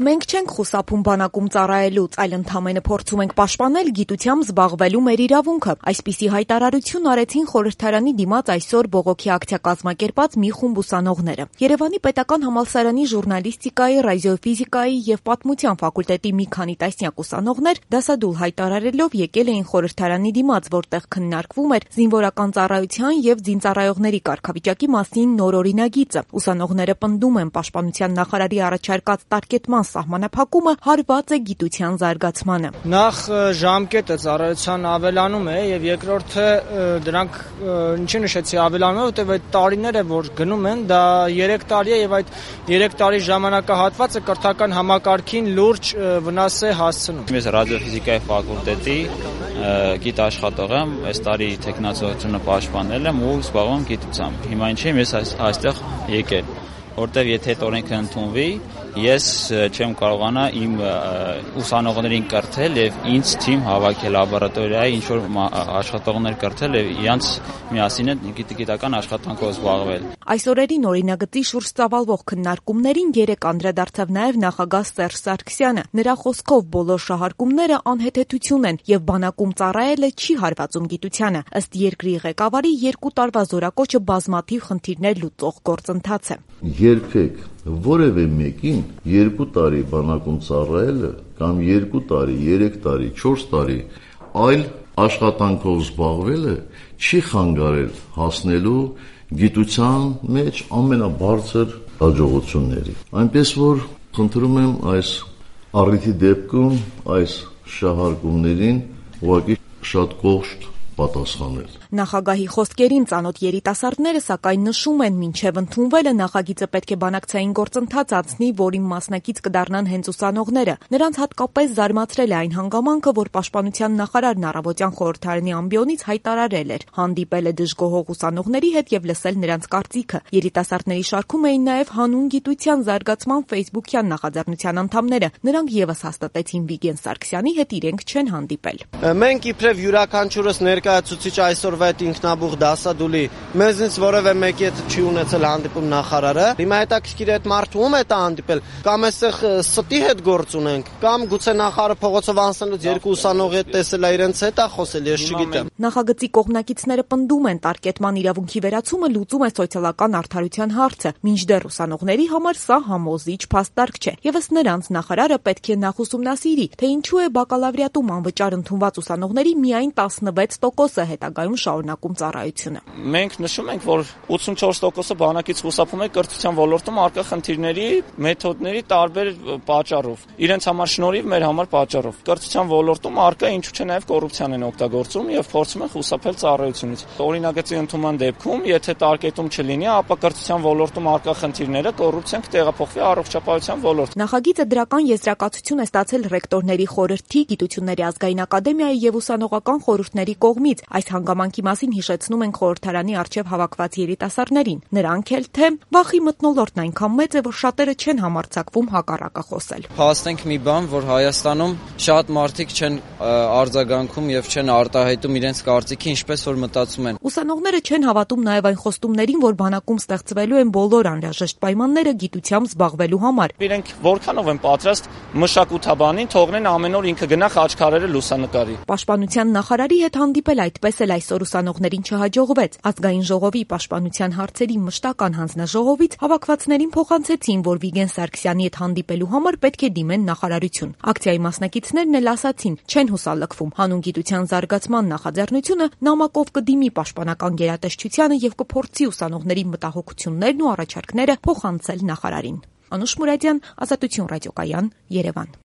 Մենք չենք խուսափում բանակում ծառայելուց, այլ ընդամենը փորձում ենք պաշտպանել գիտությամբ զբաղվելու մեր իրավունքը։ Այսպիսի հայտարարություն արեցին խորհրդարանի դիմաց այսօր բողոքի ակցիա կազմակերպած մի խումբ ուսանողները։ Երևանի պետական համալսարանի ժուրնալիստիկայի, ռադիոֆիզիկայի եւ պատմության ֆակուլտետի մի քանի տասնյակ ուսանողներ դասադուլ հայտարարելով եկել էին խորհրդարանի դիմաց, որտեղ քննարկվում էր զինվորական ծառայության եւ զինծառայողների կարգավիճակի մասին նոր օրինագիծը։ Ուսանողները պնդում են պաշտպանության նախարարի առաջարկած տարկետման սահմանափակումը հարված է գիտության զարգացմանը։ Նախ ժամկետը ծառայության ավելանում է եւ երկրորդը դրանք ինչի նշեցի ավելանում է, որտեղ այդ տարիները որ գնում են, դա 3 տարի է եւ այդ 3 տարի ժամանակահատվածը կրթական համակարգին լուրջ վնաս է հասցնում։ Ես ռադիոֆիզիկայի ֆակուլտետի գիտաշխատող եմ, այս տարի տեխնացիությունը պաշտպանել եմ ու զբաղվում եմ գիտությամբ։ Հիմա ինչ եմ ես այստեղ եկել, որտեղ եթե այդ օրենքը ընդունվի, ես չեմ կարողանա իմ ուսանողներին կրթել եւ ինձ թիմ հավաքել լաբորատորիայի ինչ որ աշխատողներ կրթել եւ իրանց միասին գիտական աշխատանքով զբաղվել։ Այս օրերին օրինագծի շուրջ ծավալվող քննարկումներին 3 անդրադարձավ նաեւ նախագահ Սերժ Սարգսյանը։ Նրա խոսքով բոլոր շահարկումները անհեթեթություն են եւ բանակում ծառայելը չի հարվածում գիտությանը։ Ըստ երկրի ղեկավարի 2 տարվա զորակոչը բազմաթիվ խնդիրներ լուծող գործընթաց է։ Երբեք որևէ մեկին 2 տարի բանակում ծառայելը կամ 2 տարի, 3 տարի, 4 տարի այլ աշխատանքով զբաղվելը չի խանգարել հասնելու գիտության մեջ ամենաբարձր հաջողությունների։ Այնպես որ խնդրում եմ այս առիթի դեպքում այս շահարկումներին ուղղակի շատ կողշ պատասխանել։ Նախագահի խոսքերին ծանոթ երիտասարդները սակայն նշում են, մինչև ընդունվելը նախագիծը պետք է բանակցային գործընթաց անցնի, որին մասնակից կդառնան հենց ուսանողները։ Նրանց հատկապես զարմացրել է այն հանգամանքը, որ պաշտպանության նախարարն առավոտյան խորհրդարանի ամբիոնից հայտարարել էր, հանդիպել է դժգոհող ուսանողների հետ եւ լսել նրանց կարծիքը։ Երիտասարդների շարքում էին նաեւ հանուն գիտության զարգացման Facebook-յան նախաձեռնության անդամները։ Նրանք եւս հաստատեցին Վիգեն Սարգսյանի հետ իրենք չեն հանդիպել։ Մենք իբրև յուրաքանչյուրս ներկայացուցիչ այսօրվա այդ ինքնաբուխ դասադուլի մեզնից որևէ մեկի հետ չի ունեցել հանդիպում նախարարը։ Հիմա հետաքրքիր է այդ մարդը ում հետ է հանդիպել, կամ այստեղ ստի հետ գործ ունենք, կամ գուցե նախարարը փողոցով անցնելուց 2 ուսանողի հետ տեսել է իրենց հետ է խոսել, ես չգիտեմ։ Նախագծի կողմնակիցները պնդում են, տարկետման իրավունքի վերացումը լուծում է սոցիալական արդարության հարցը, մինչդեռ ուսանողների համար սա համոզիչ փաստարկ չէ։ Եվս նրանց նախարարը պետք է նախ ուսումնասիրի, թե ինչու է բակալավրիատում անվճար ընդունված ուսանողների միայն 16%-ը հետագայում շարունակում ծառայությունը։ Մենք նշում ենք, որ 84%-ը բանակից խուսափում է կրթության ոլորտում առկա խնդիրների, մեթոդների տարբեր պատճառով։ Իրենց համար շնորհիվ, մեր համար պատճառով։ Կրթության ոլորտում առկա ինչու՞ չէ նաև կոռուպցիան են օգտագործում եւ փորձում են խուսափել ծառայությունից։ Օրինագծի ընդունման դեպքում, եթե տարկետում չլինի, ապա կրթության ոլորտում առկա խնդիրները կոռուպցիան կտեղափոխվի առողջապահության ոլորտ։ Նախագիծը դրական եզրակացություն է ստացել ռեկտորների խորհրդի, Գիտությունների ազգային ակադեմիայի եւ ուսանողական խորհուրդների կողմից։ Այս հանգամանքի մասին հիշեցնում են խորհրդարանի առջև հավաքված երիտասարդներին։ Նրանք էլ թե վախի մթնոլորտն այնքան մեծ է, որ շատերը չեն համարձակվում հակառակը խոսել։ Փաստենք մի բան, որ Հայաստանում շատ մարդիկ չեն արձագանքում եւ չեն արտահայտում իրենց կարծիքի, ինչպես որ մտածում են։ Ուսանողները չեն հավատում նաեւ այն խոստումներին, որ բանակում ստեղծվելու են բոլոր անհրաժեշտ պայմանները գիտությամբ զբաղվելու համար։ Իրենք որքանով են պատրաստ մշակութաբանին թողնեն ամեն օր ինքը գնա խաչքարերը լուսանկարի։ Պաշտպանության նախարարի հետ հանդիպել այդպես էլ այսօր ուսանողներին չհաջողվեց։ Ազգային ժողովի պաշտպանության հարցերի մշտական հանձնաժողովից հավաքվածներին փոխանցեցին, որ Վիգեն Սարգսյանի հետ հանդիպելու համար պետք է դիմեն նախարարություն։ Ակցիայի մասնակիցներն էլ ասացին, չեն հուսալքվում։ Հանուն գիտության զարգացման նախաձեռնությունը նամակով կդիմի պաշտպանական գերատեսչությանը եւ կփորձի ուսանողների մտահոգություններն ու առաջարկները փոխանցել նախարարին։ Անուշ Մուրադյան, Ազատություն ռադիոկայան, Երևան։